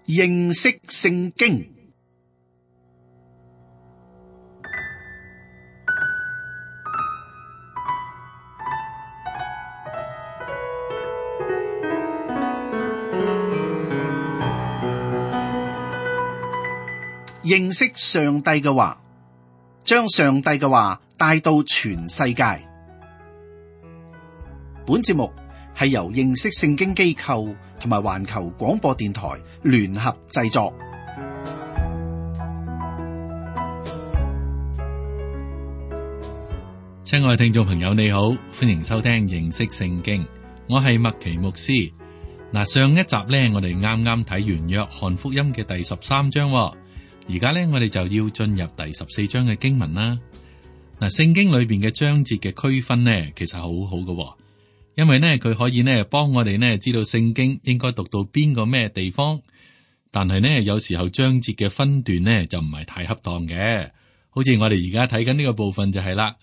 認識聖經。認識上帝嘅話，將上帝嘅話帶到全世界。本節目係由認識聖經機構同埋環球廣播電台聯合製作。親愛聽眾朋友，你好，歡迎收聽認識聖經。我係麥奇牧師。嗱，上一集呢，我哋啱啱睇完約翰福音嘅第13章。而家咧，我哋就要進入第14章嘅經文啦。嗱，聖經裏邊嘅章節嘅區分呢，其實好好嘅，因為呢，佢可以呢幫我哋呢知道聖經應該讀到邊個咩地方。但係呢，有時候章節嘅分段呢就唔係太恰當嘅，好似我哋而家睇緊呢個部分就係啦。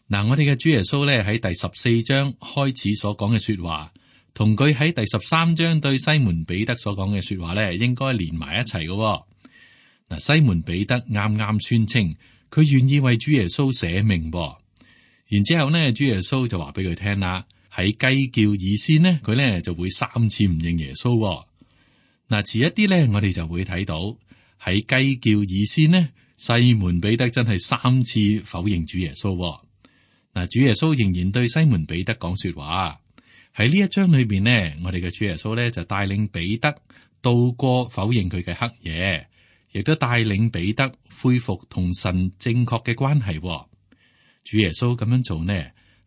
嗱，我哋嘅主耶穌咧喺第14章開始所講嘅說話，同佢喺第13章對西門彼得所講嘅說話咧，應該連埋一齊嘅。嗱，西門彼得啱啱宣稱佢願意為主耶穌捨命，然之後呢，主耶穌就話俾佢聽啦，喺雞叫以先呢，佢呢就會3次唔認耶穌。嗱，遲一啲呢，我哋就會睇到喺雞叫以先呢，西門彼得真係3次否認主耶穌。嗱，主耶穌仍然對西門彼得講說話。喺呢一章裏邊呢，我哋嘅主耶穌呢就帶領彼得度過否認佢嘅黑夜。亦都帶領彼得恢復同神正確嘅關係。主耶穌咁樣做呢，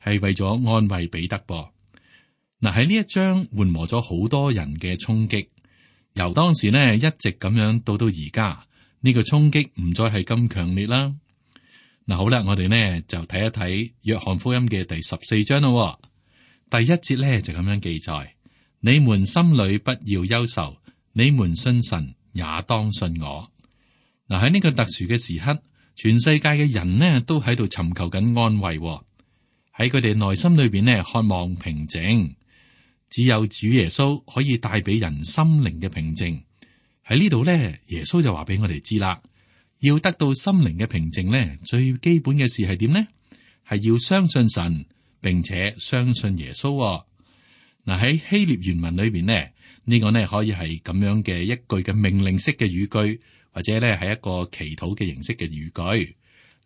係為咗安慰彼得噃。嗱，喺呢一章緩和咗好多人嘅衝擊，由當時呢一直咁樣到而家，呢個衝擊唔再係咁強烈啦。嗱，好啦，我哋呢就睇一睇約翰福音嘅第14章咯。第1節呢就咁樣記載：你們心裏不要憂愁，你們信神也當信我。嗱，喺呢個特殊嘅時刻，全世界嘅人呢都喺度尋求緊安慰，喺佢哋內心裏邊呢渴望平靜。只有主耶穌可以帶俾人心靈嘅平靜。喺呢度呢，耶穌就話俾我哋知啦，要得到心靈嘅平靜呢，最基本嘅事係點呢？係要相信神，並且相信耶穌。嗱，喺希臘原文裏邊呢，呢個呢可以係咁樣嘅一句嘅命令式嘅語句。或者咧係一個祈禱嘅形式嘅語句，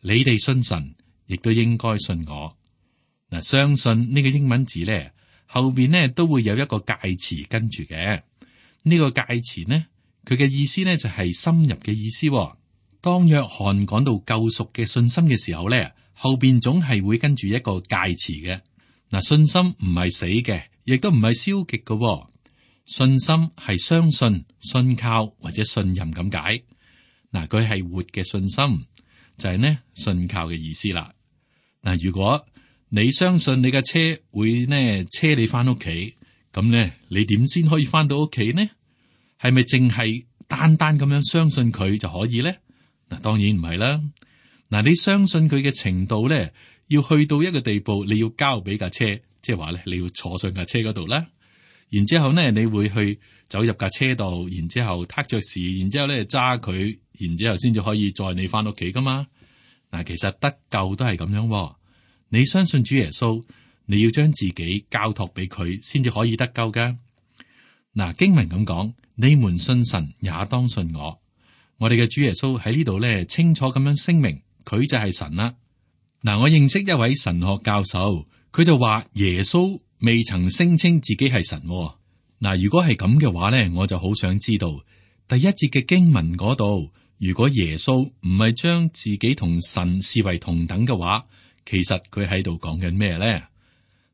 你哋信神，亦都應該信我。嗱，相信呢個英文字咧後邊呢都會有一個介詞跟住嘅。呢個介詞呢，佢嘅意思呢就係深入嘅意思。當約翰講到救贖嘅信心嘅時候咧，後邊總係會跟住一個介詞嘅。嗱，信心唔係死嘅，亦都唔係消極嘅。信心係相信、信靠或者信任咁解。嗱，佢係活嘅信心，就係呢信靠嘅意思啦。嗱，如果你相信你嘅車會呢車你翻屋企，咁呢你點先可以翻到屋企呢？係咪淨係單單咁樣相信佢就可以呢？嗱，當然唔係啦。嗱，你相信佢嘅程度呢，要去到一個地步，你要交俾架車，即係話咧，你要坐上架車嗰度啦。然之後呢，你會去走入架車度，然之後撻着匙，然之後咧揸佢，然之後先至可以載你翻屋企噶嘛。嗱，其實得救都係咁樣。你相信主耶穌，你要將自己交託俾佢，先至可以得救噶。嗱，經文咁講，你們信神也當信我。我哋嘅主耶穌喺呢度咧清楚咁樣聲明，佢就係神啦。嗱，我認識一位神學教授，佢就話耶穌未曾聲稱自己係神。嗱，如果係咁嘅話咧，我就好想知道第1節嘅經文嗰度，如果耶穌唔係將自己同神視為同等嘅話，其實佢喺度講緊咩咧？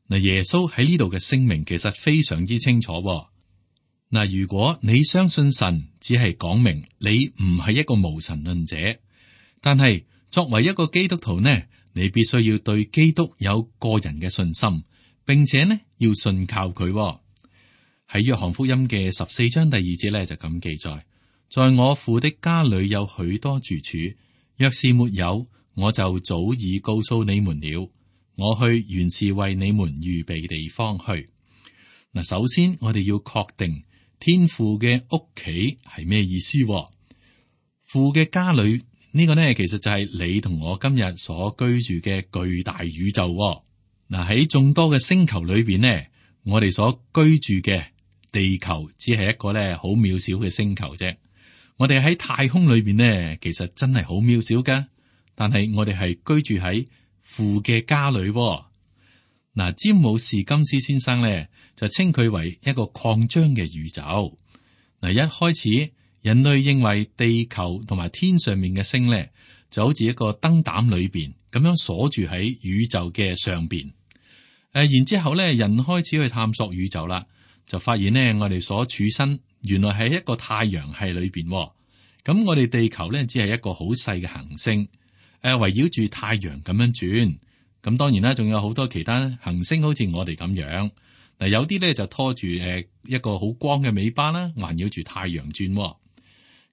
嗱，耶穌喺呢度嘅聲明其實非常之清楚。嗱，如果你相信神，只係講明你唔係一個無神論者，但係作為一個基督徒呢，你必須要對基督有個人嘅信心。並且呢，要信靠佢。喺約翰福音嘅14章第2節咧就咁記載：在我父的家裏有許多住處，若是沒有，我就早已告訴你們了。我去原是為你們預備地方去。嗱，首先我哋要確定天父嘅屋企係咩意思？父嘅家裏呢個呢，其實就係你同我今日所居住嘅巨大宇宙。嗱，喺眾多嘅星球裏邊呢，我哋所居住嘅地球只係一個咧好渺小嘅星球啫。我哋喺太空裏邊呢，其實真係好渺小噶。但係我哋係居住喺父嘅家裏。嗱，詹姆士金斯先生咧就稱佢為一個擴張嘅宇宙。嗱，一開始人類認為地球同埋天上面嘅星咧就好似一個燈膽裏邊咁樣鎖住喺宇宙嘅上邊。然之後咧，人開始去探索宇宙啦，就發現呢，我哋所處身原來係一個太陽系裏邊。咁我哋地球咧只係一個好細嘅行星，圍繞住太陽咁樣轉。咁當然啦，仲有好多其他行星好似我哋咁樣。嗱，有啲咧就拖住一個好光嘅尾巴啦，環繞住太陽轉。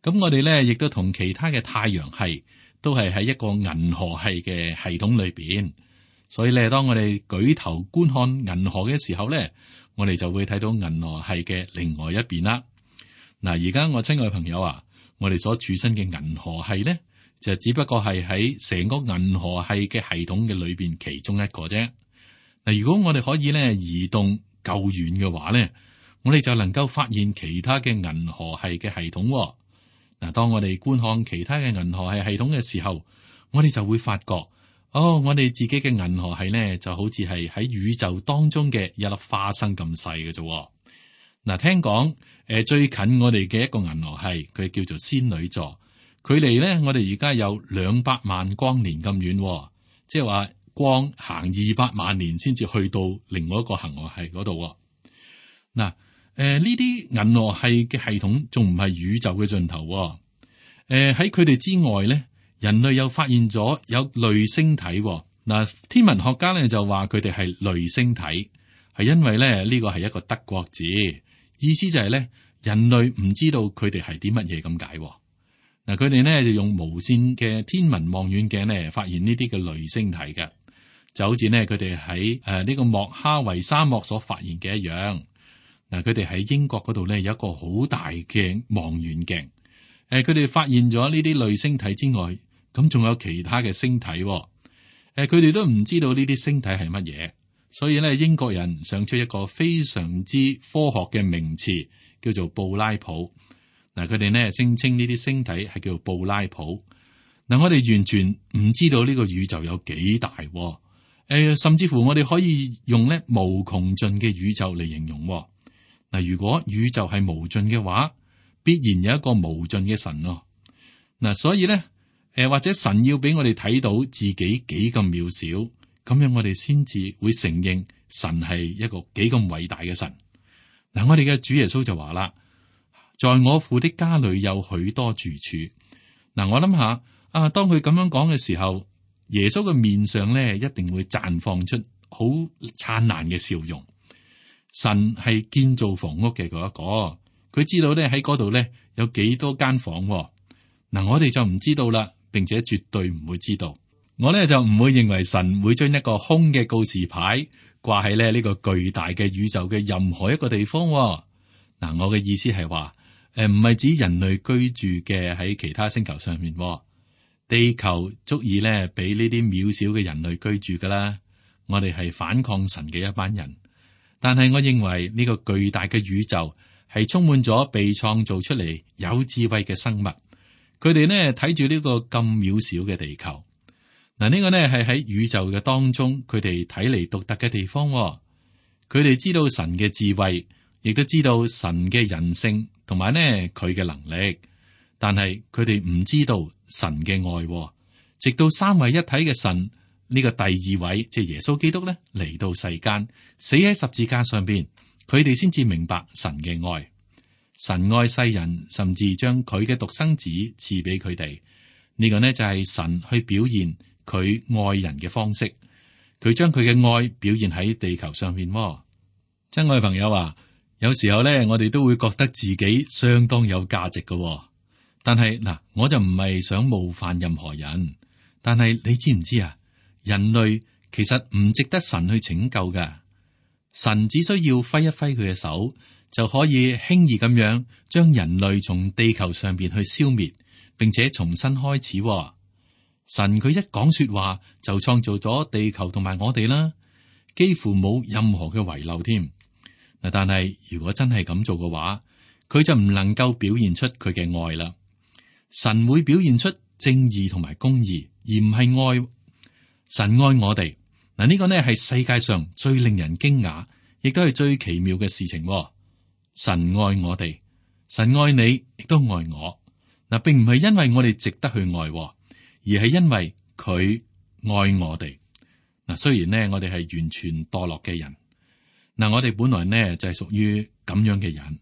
咁我哋咧亦都同其他嘅太陽系都係喺一個銀河系嘅系統裏邊。所以咧，當我哋舉頭觀看銀河嘅時候咧，我哋就會睇到銀河系嘅另外一邊啦。嗱，而家我親愛嘅朋友啊，我哋所處身嘅銀河系咧，就只不過係喺成個銀河系嘅系統嘅裏邊其中一個啫。嗱，如果我哋可以咧移動夠遠嘅話咧，我哋就能夠發現其他嘅銀河系嘅系統。嗱，當我哋觀看其他嘅銀河系系統嘅時候，我哋就會發覺。我哋自己嘅銀河系咧，就好似係喺宇宙當中嘅一粒花生咁細嘅啫。嗱，聽講最近我哋嘅一個銀河系，佢叫做仙女座，距離咧我哋而家有200萬光年咁遠，即係話光行200萬年先至去到另外一個銀河系嗰度。嗱，呢啲銀河系嘅系統仲唔係宇宙嘅盡頭。喺佢哋之外咧。人類又發現咗有類星體。嗱，天文學家咧就話佢哋係類星體，係因為咧呢個係一個德國字，意思就係咧人類唔知道佢哋係啲乜嘢咁解。嗱，佢哋咧就用無線嘅天文望遠鏡咧發現呢啲嘅類星體嘅，就好似呢，佢哋喺呢個莫哈維沙漠所發現嘅一樣。嗱，佢哋喺英國嗰度咧有一個好大嘅望遠鏡，佢哋發現咗呢啲類星體之外。咁仲有其他嘅星體，佢哋都唔知道呢啲星體係乜嘢，所以咧英國人想出一個非常之科學嘅名詞，叫做布拉普。嗱，佢哋呢聲稱呢啲星體係叫做布拉普。嗱，我哋完全唔知道呢個宇宙有幾大，甚至乎我哋可以用咧無窮盡嘅宇宙嚟形容。嗱，如果宇宙係無盡嘅話，必然有一個無盡嘅神咯。嗱，所以咧。或者神要俾我哋睇到自己幾咁渺小，咁樣我哋先至會承認神係一個幾咁偉大嘅神。嗱，我哋嘅主耶穌就話啦，在我父的家裏有許多住處。嗱，我諗下當佢咁樣講嘅時候，耶穌嘅面上咧一定會綻放出好燦爛嘅笑容。神係建造房屋嘅嗰一個，佢知道咧喺嗰度咧有幾多間房。嗱，我哋就唔知道啦。並且絕對唔會知道，我咧就唔會認為神會將一個空嘅告示牌掛喺咧呢個巨大嘅宇宙嘅任何一個地方。嗱，我嘅意思係話，唔係指人類居住嘅喺其他星球上面，地球足以咧俾呢啲渺小嘅人類居住噶啦。我哋係反抗神嘅一班人，但係我認為呢個巨大嘅宇宙係充滿咗被創造出嚟有智慧嘅生物。佢哋呢睇住呢個咁渺小嘅地球，嗱，呢個呢係喺宇宙嘅當中，佢哋睇嚟獨特嘅地方。佢哋知道神嘅智慧，亦都知道神嘅人性，同埋呢佢嘅能力。但係佢哋唔知道神嘅愛，直到三位一體嘅神呢個第二位，即係耶穌基督呢嚟到世間，死喺十字架上邊，佢哋先至明白神嘅愛。神愛世人，甚至將佢嘅獨生子賜俾佢哋。呢個呢就係神去表現佢愛人嘅方式。佢將佢嘅愛表現喺地球上面。親愛朋友啊，有時候呢，我哋都會覺得自己相當有價值嘅。但係嗱，我就唔係想冒犯任何人。但係你知唔知啊？人類其實唔值得神去拯救㗎。神只需要揮一揮佢嘅手，就可以輕易咁樣將人類從地球上邊去消滅，並且重新開始。神佢一講說話就創造咗地球同埋我哋啦，幾乎冇任何嘅遺漏添。嗱，但係如果真係咁做嘅話，佢就唔能夠表現出佢嘅愛啦。神會表現出正義同埋公義，而唔係愛。神愛我哋，嗱，呢個呢係世界上最令人驚訝，亦都係最奇妙嘅事情。神愛我哋，神愛你，亦都愛我。嗱，並唔係因為我哋值得去愛，而係因為佢愛我哋。嗱，雖然呢，我哋係完全墮落嘅人，嗱，我哋本來呢就係屬於咁樣嘅人。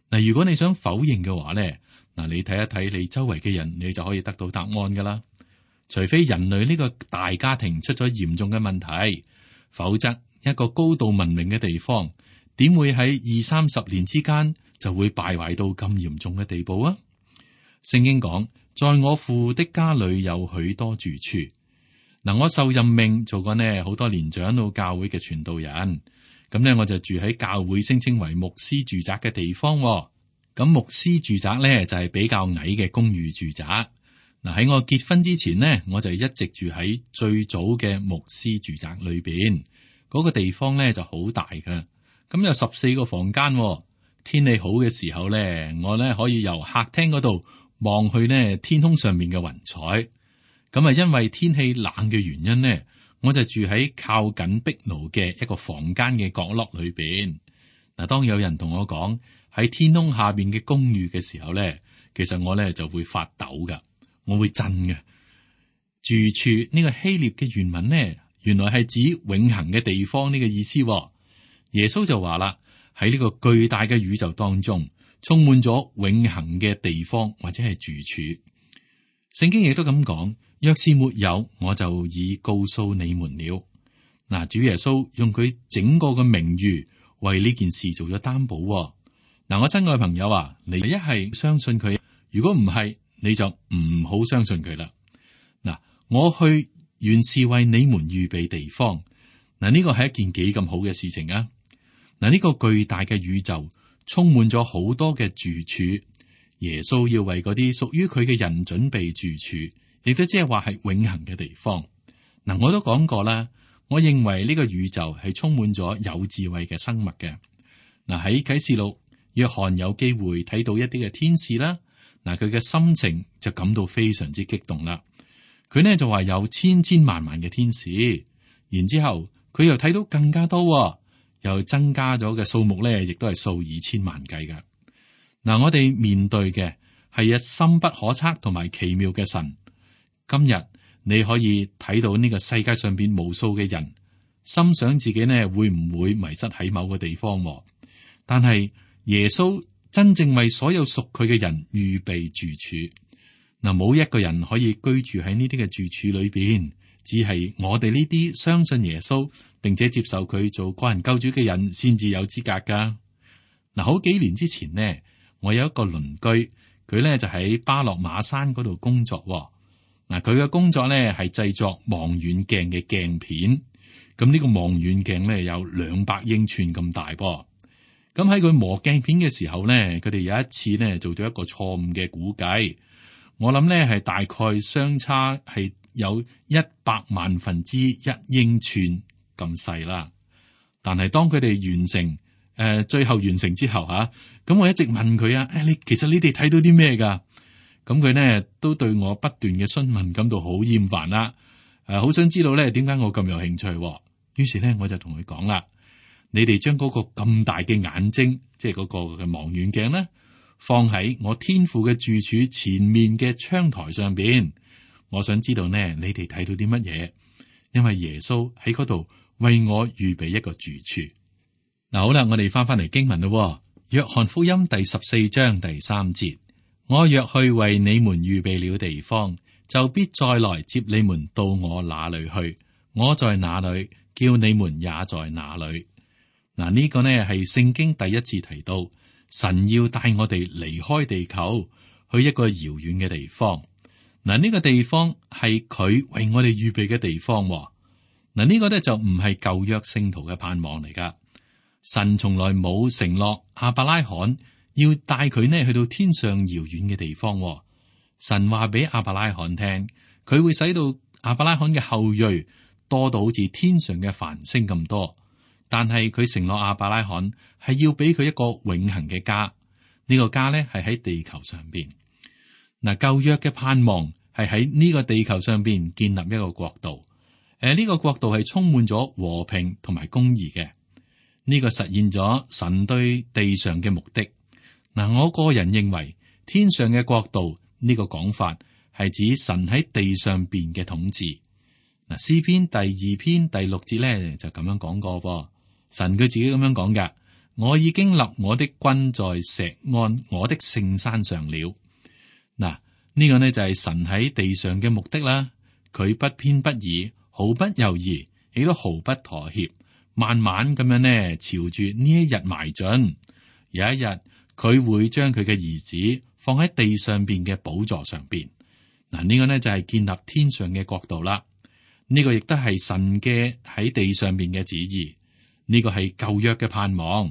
嗱，如果你想否認嘅話呢，嗱，你睇一睇你周圍嘅人，你就可以得到答案噶啦。除非人類呢個大家庭出咗嚴重嘅問題，否則一個高度文明嘅地方，點會喺20-30年之間就會敗壞到咁嚴重嘅地步啊？聖經講，在我父的家裏有許多住處。嗱，我受任命做過呢好多年長老教會嘅傳道人，咁呢，我就住喺教會聲稱為牧師住宅嘅地方。咁牧師住宅呢，就係比較矮嘅公寓住宅。嗱，喺我結婚之前呢，我就一直住喺最早嘅牧師住宅裏邊。嗰個地方呢就好大㗎，咁有14個房間。天氣好嘅時候呢，我呢可以由客廳嗰度望去呢天空上面嘅雲彩。咁啊，因為天氣冷嘅原因呢，我就住喺靠近壁爐嘅一個房間嘅角落裏邊。嗱，當有人同我講喺天空下邊嘅公寓嘅時候呢，其實我呢就會發抖噶，我會震嘅。住處呢個希臘嘅原文呢，原來係指永恆嘅地方呢個意思。耶穌就話啦，喺呢個巨大嘅宇宙當中，充滿咗永恆嘅地方或者係住處。聖經亦都咁講，若是沒有，我就已告訴你們了。嗱，主耶穌用佢整個嘅名譽為呢件事做咗擔保。嗱，我親愛嘅朋友啊，你一係相信佢，如果唔係，你就唔好相信佢啦。嗱，我去原是為你們預備地方。嗱，呢個係一件幾咁好嘅事情啊！嗱，呢個巨大嘅宇宙充滿咗好多嘅住處，耶穌要為嗰啲屬於佢嘅人準備住處，亦都即係話係永恆嘅地方。嗱，我都講過啦，我認為呢個宇宙係充滿咗有智慧嘅生物嘅。嗱，喺啟示錄，約翰有機會睇到一啲嘅天使啦。嗱，佢嘅心情就感到非常之激動啦。佢呢就話有千千萬萬嘅天使，然之後佢又睇到更加多，又增加咗嘅數目咧，亦都係數以千萬計噶。嗱，我哋面對嘅係一深不可測同埋奇妙嘅神。今日你可以睇到呢個世界上邊無數嘅人，心想自己呢會唔會迷失喺某個地方，但係耶穌真正為所有屬佢嘅人預備住處。嗱，冇一個人可以居住喺呢啲嘅住處裏邊，只係我哋呢啲相信耶穌並且接受佢做個人救主嘅人先至有資格噶。嗱，好幾年之前呢，我有一個鄰居，佢呢就喺巴洛馬山嗰度工作。嗱，佢嘅工作呢係製作望遠鏡嘅鏡片。咁呢個望遠鏡呢有200英寸咁大噃。咁喺佢磨鏡片嘅時候呢，佢哋有一次呢做咗一個錯誤嘅估計。我諗呢係大概相差係有100萬分之1英寸咁細啦。但係當佢哋完成最後完成之後吓，咁我一直問佢啊，其實你哋睇到啲咩噶？咁佢呢都對我不斷嘅詢問感到好厭煩啦。好想知道呢點解我咁有興趣。於是呢我就同佢講啦，你哋將嗰個咁大嘅眼睛，即係嗰個嘅望遠鏡呢，放喺我天父嘅住處前面嘅窗台上邊，我想知道呢，你哋睇到啲乜嘢？因為耶穌喺嗰度為我預備一個住處。嗱，好啦，我哋翻嚟經文咯。約翰福音第14章第3節，我若去為你們預備了地方，就必再來接你們到我那裏去。我在哪裏，叫你們也在哪裏。嗱，呢個呢係聖經第一次提到。神要帶我哋離開地球，去一個遙遠嘅地方。嗱，呢個地方係佢為我哋預備嘅地方。嗱，呢個咧就唔係舊約聖徒嘅盼望嚟噶。神從來冇承諾亞伯拉罕要帶佢呢去到天上遙遠嘅地方。神話俾亞伯拉罕聽，佢會使到亞伯拉罕嘅後裔多到好似天上嘅繁星咁多。但係佢承諾亞伯拉罕係要俾佢一個永恆嘅家，呢個家呢係喺地球上邊。嗱，舊約嘅盼望係喺呢個地球上邊建立一個國度。呢個國度係充滿咗和平同埋公義嘅。呢個實現咗神對地上嘅目的。嗱，我個人認為天上嘅國度呢個講法係指神喺地上邊嘅統治。嗱，詩篇第2篇第6節咧就咁樣講過噃。神佢自己咁樣講嘅：我已經立我的君在錫安我的聖山上了。嗱，呢個呢就係神喺地上嘅目的啦。佢不偏不倚，毫不猶豫，亦都毫不妥協，慢慢咁樣呢朝住呢一日邁進。有一日佢會將佢嘅兒子放喺地上邊嘅寶座上邊。嗱，呢個呢就係建立天上嘅國度啦。呢個亦都係神嘅喺地上邊嘅旨意。呢個係舊約嘅盼望。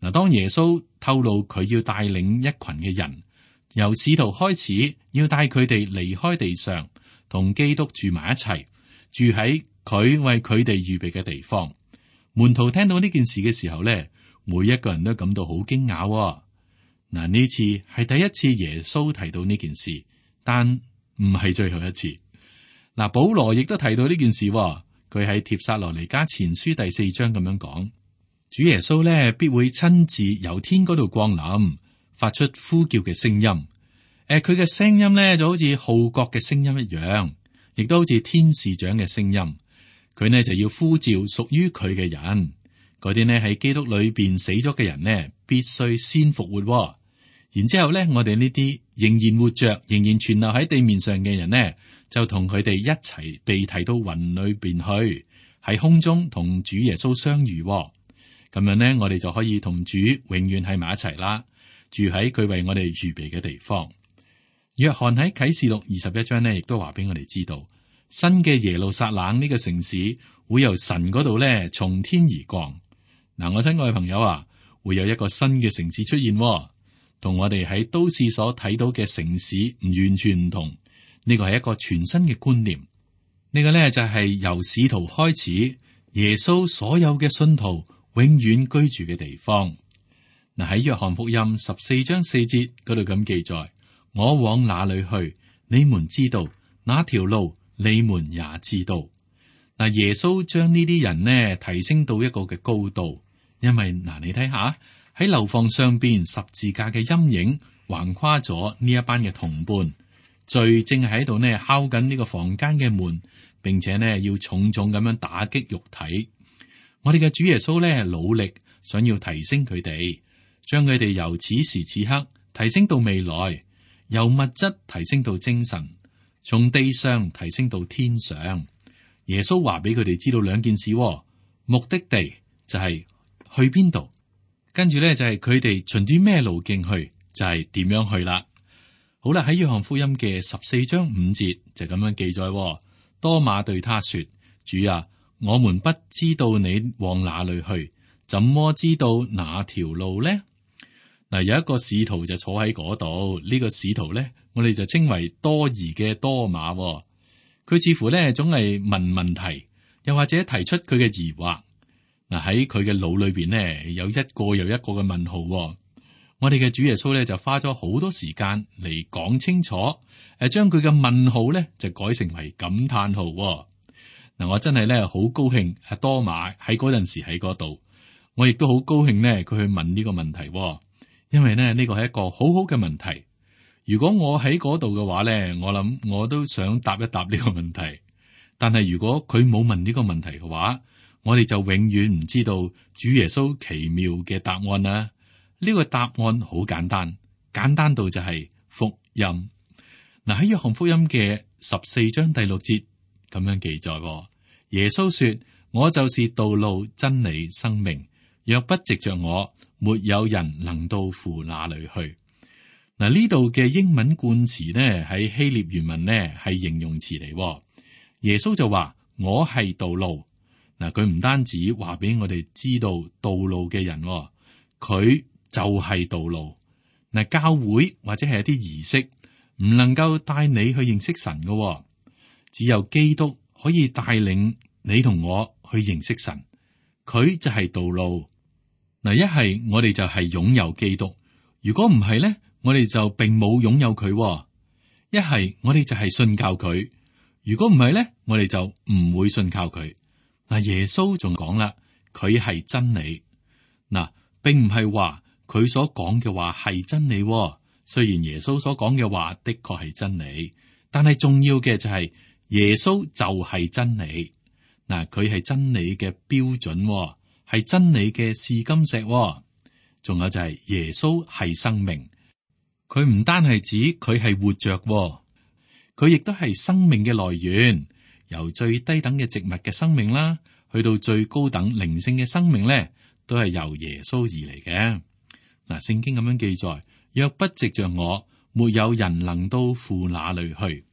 嗱，當耶穌透露佢要帶領一群嘅人，由使徒開始，要帶佢哋離開地上，同基督住埋一齊，住喺佢為佢哋預備嘅地方。門徒聽到呢件事嘅時候咧，每一個人都感到好驚訝。嗱，呢次係第一次耶穌提到呢件事，但唔係最後一次。嗱，保羅亦都提到呢件事。佢喺帖撒羅尼迦前書第4章咁樣講，主耶穌咧必會親自由天嗰度降臨，發出呼叫嘅聲音。佢嘅聲音咧就好似號角嘅聲音一樣，亦都好似天使長嘅聲音。佢呢就要呼召屬於佢嘅人，嗰啲呢喺基督裏邊死咗嘅人呢，必須先復活。然之後咧，我哋呢啲仍然活着、仍然存留喺地面上嘅人呢，就同佢哋一齊被提到雲裏邊去，喺空中同主耶穌相遇。咁樣呢，我哋就可以同主永遠喺埋一齊啦，住喺佢為我哋預備嘅地方。約翰喺啟示錄21章呢，亦都話俾我哋知道，新嘅耶路撒冷呢個城市會由神嗰度呢從天而降。嗱，我親愛嘅朋友啊，會有一個新嘅城市出現，同我哋喺都市所睇到嘅城市唔完全唔同。呢個係一個全新嘅觀念。呢個呢，就係由使徒開始，耶穌所有嘅信徒永遠居住嘅地方。嗱，喺約翰福音14章4節嗰度咁記載：我往哪裏去，你們知道；那條路你們也知道。嗱，耶穌將呢啲人呢提升到一個嘅高度，因為嗱，你睇下喺樓房上邊十字架嘅陰影橫跨咗呢一班嘅同伴。罪正喺度呢敲緊呢個房間嘅門，並且呢要重重咁樣打擊肉體。我哋嘅主耶穌呢努力想要提升佢哋，將佢哋由此時此刻提升到未來，由物質提升到精神，從地上提升到天上。耶穌話俾佢哋知道兩件事，目的地就係去邊度，跟住呢就係佢哋循住咩路徑去，就係點樣去啦。好啦，喺約翰福音嘅14章5節就咁樣記載。多馬對他說：主啊，我們不知道你往哪裏去，怎麼知道哪條路呢？嗱，有一個使徒就坐喺嗰度，呢個使徒咧，我哋就稱為多疑嘅多馬。佢似乎咧總係問問題，又或者提出佢嘅疑惑。嗱，喺佢嘅腦裏邊呢，有一個又一個嘅問號。我哋嘅主耶穌咧就花咗好多時間嚟講清楚，將佢嘅問號咧就改成為感嘆號。嗱，我真係咧好高興阿多馬喺嗰陣時喺嗰度，我亦都好高興呢佢去問呢個問題，因為呢個係一個好好嘅問題。如果我喺嗰度嘅話咧，我諗我都想答一答呢個問題。但係如果佢冇問呢個問題嘅話，我哋就永遠唔知道主耶穌奇妙嘅答案啦。呢個答案好簡單，簡單到就係福音。嗱，喺約翰福音嘅14章第6節咁樣記載，耶穌說：我就是道路、真理、生命，若不藉着我，沒有人能到父那裏去。嗱，呢度嘅英文冠詞呢，喺希臘原文呢係形容詞嚟。耶穌就話：我係道路。嗱，佢唔單止話俾我哋知道道路嘅人，佢就係道路。嗱，教會或者係一啲儀式唔能夠帶你去認識神嘅，只有基督可以帶領你同我去認識神。佢就係道路。嗱，一係我哋就係擁有基督，如果唔係咧，我哋就並冇擁有佢。一係我哋就係信靠佢，如果唔係咧，我哋就唔會信靠佢。嗱，耶穌仲講啦，佢係真理。嗱，並唔係話佢所講嘅話係真理。雖然耶穌所講嘅話的確係真理，但係重要嘅就係耶穌就係真理。嗱，佢係真理嘅標準，係真理嘅試金石。仲有就係耶穌係生命。佢唔單係指佢係活着，佢亦都係生命嘅來源。由最低等嘅植物嘅生命啦，去到最高等靈性嘅生命咧，都係由耶穌而嚟嘅。嗱，聖經咁樣記載：若不藉着我，沒有人能到父那裏去。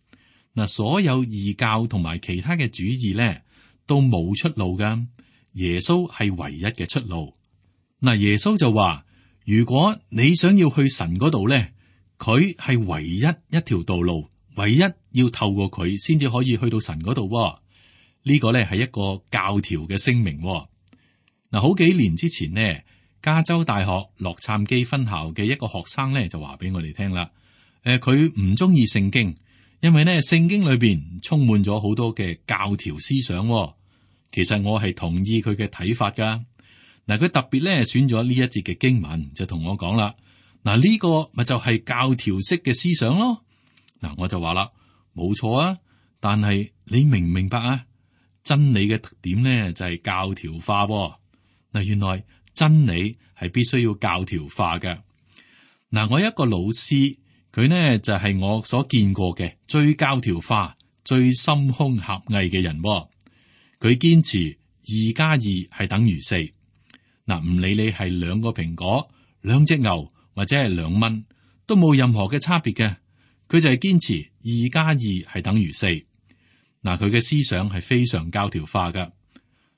嗱，所有異教同埋其他嘅主義咧，都冇出路噶。耶穌係唯一嘅出路。嗱，耶穌就話：如果你想要去神嗰度咧，佢係唯一一條道路，唯一要透過佢先至可以去到神嗰度。呢個咧係一個教條嘅聲明。嗱，好幾年之前呢，加州大學洛杉磯分校嘅一個學生咧就話俾我哋聽啦。佢唔中意聖經，因為呢聖經裏邊充滿咗好多嘅教條思想。其實我係同意佢嘅睇法噶。嗱，佢特別咧選咗呢一節嘅經文，就同我講啦。嗱，呢個咪就係教條式嘅思想咯。嗱，我就話啦，冇錯啊，但係你明唔明白啊？真理嘅特點咧就係教條化。嗱，原來真理係必須要教條化嘅。嗱，我有一個老師，佢呢就係我所見過嘅最教條化、最心胸狹隘嘅人。佢堅持2+2係等於4。嗱，唔理你係2個蘋果、2隻牛或者係2蚊，都冇任何嘅差別嘅。佢就係堅持2+2係等於4。嗱，佢嘅思想係非常教條化噶。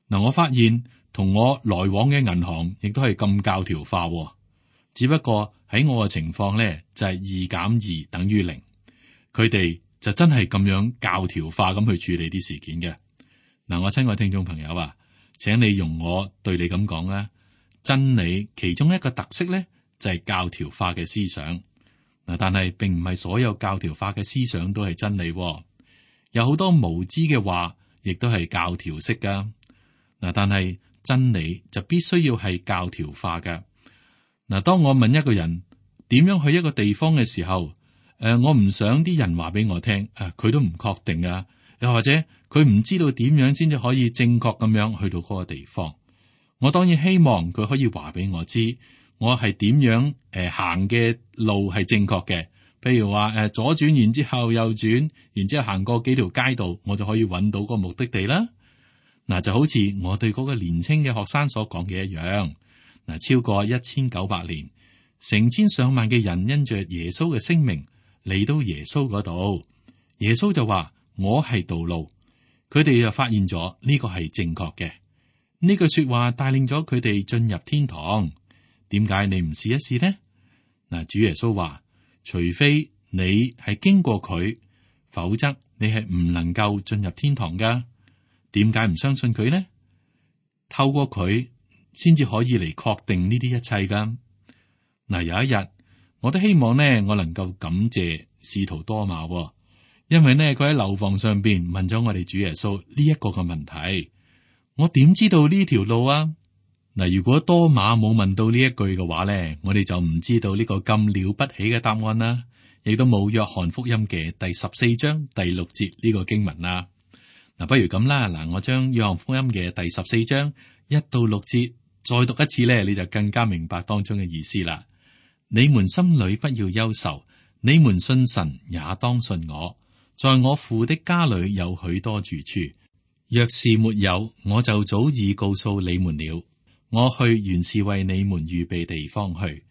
嗱，我發現同我來往嘅銀行亦都係咁教條化。只不過喺我嘅情況咧，就係2+2等於0。佢哋就真係咁樣教條化咁去處理啲事件嘅。嗱，我親愛聽眾朋友啊，請你容我對你咁講啦。真理其中一個特色咧，就係教條化嘅思想。嗱，但係並唔係所有教條化嘅思想都係真理。有好多無知嘅話，亦都係教條式噶。嗱，但係真理就必須要係教條化噶。嗱，當我問一個人點樣去一個地方嘅時候，我唔想啲人話俾我聽，佢都唔確定啊，又或者佢唔知道點樣先至可以正確咁樣去到嗰個地方。我當然希望佢可以話俾我知，我係點樣行嘅路係正確嘅。譬如話左轉然之後右轉，然之後行過幾條街道，我就可以揾到個目的地啦。嗱，就好似我對嗰個年輕嘅學生所講嘅一樣。嗱，超過1900年，成千上萬嘅人因着耶穌嘅聲明嚟到耶穌嗰度，耶穌就話我係道路。佢哋就發現咗呢個係正確嘅。呢句說話帶領咗佢哋進入天堂。點解你唔試一試呢？嗱，主耶穌話，除非你係經過佢，否則你係唔能夠進入天堂噶。點解唔相信佢呢？透過佢先至可以嚟確定呢啲一切噶。嗱，有一日我都希望呢，我能夠感謝使徒多馬，因為呢，佢喺樓房上邊問咗我哋主耶穌呢一個嘅問題。我點知道呢條路啊？嗱，如果多馬冇問到呢一句嘅話咧，我哋就唔知道呢個咁了不起嘅答案啦，亦都冇約翰福音嘅第14章第6節呢個經文啦。嗱，不如咁啦，嗱，我將約翰福音嘅第14章1到6節再讀一次咧，你就更加明白當中嘅意思啦。你們心裏不要憂愁，你們信神也當信我，在我父的家裏有許多住處，若是沒有，我就早已告訴你們了。我去原是為你們預備地方去。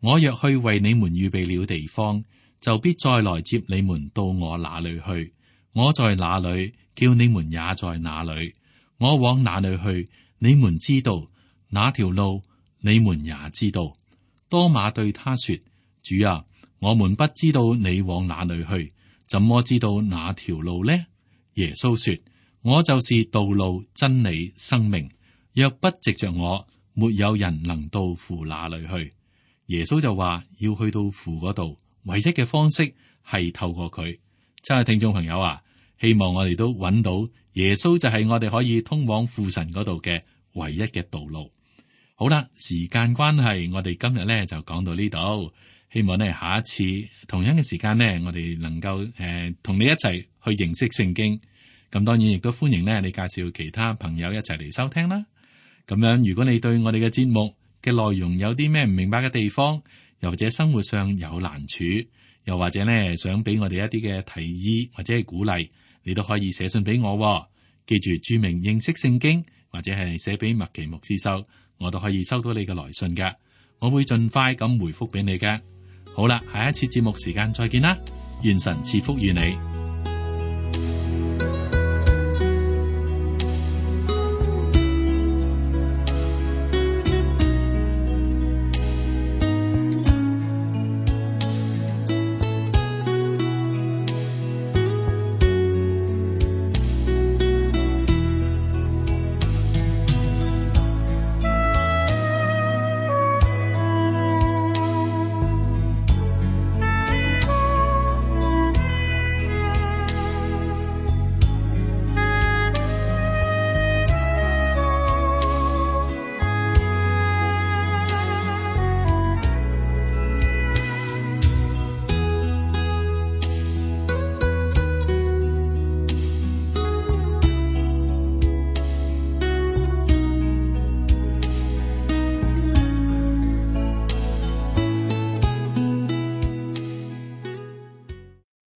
我若去為你們預備了地方，就必再來接你們到我那裏去。我在哪裏，叫你們也在哪裏。我往哪裏去，你們知道；那條路，你們也知道。多馬對他說：主啊，我們不知道你往哪裏去，怎麼知道那條路呢？耶穌說：我就是道路、真理、生命。若不藉着我，沒有人能到父那裏去。耶穌就話要去到父嗰度，唯一嘅方式係透過佢。親愛聽眾朋友啊，希望我哋都揾到耶穌就係我哋可以通往父神嗰度嘅唯一嘅道路。好啦，時間關係，我哋今日咧就講到呢度。希望呢下一次同樣嘅時間呢，我哋能夠同你一齊去認識聖經。咁當然亦都歡迎呢你介紹其他朋友一齊嚟收聽啦。咁樣如果你對我哋嘅節目嘅內容有啲咩唔明白嘅地方，又或者生活上有難處，又或者呢想俾我哋一啲嘅提議或者係鼓勵，你都可以寫信俾我。記住注明認識聖經，或者係寫俾麥奇牧師收，我都可以收到你嘅來信㗎。我會盡快咁回覆俾你嘅。好啦，下一次節目時間再見啦，願神賜福於你。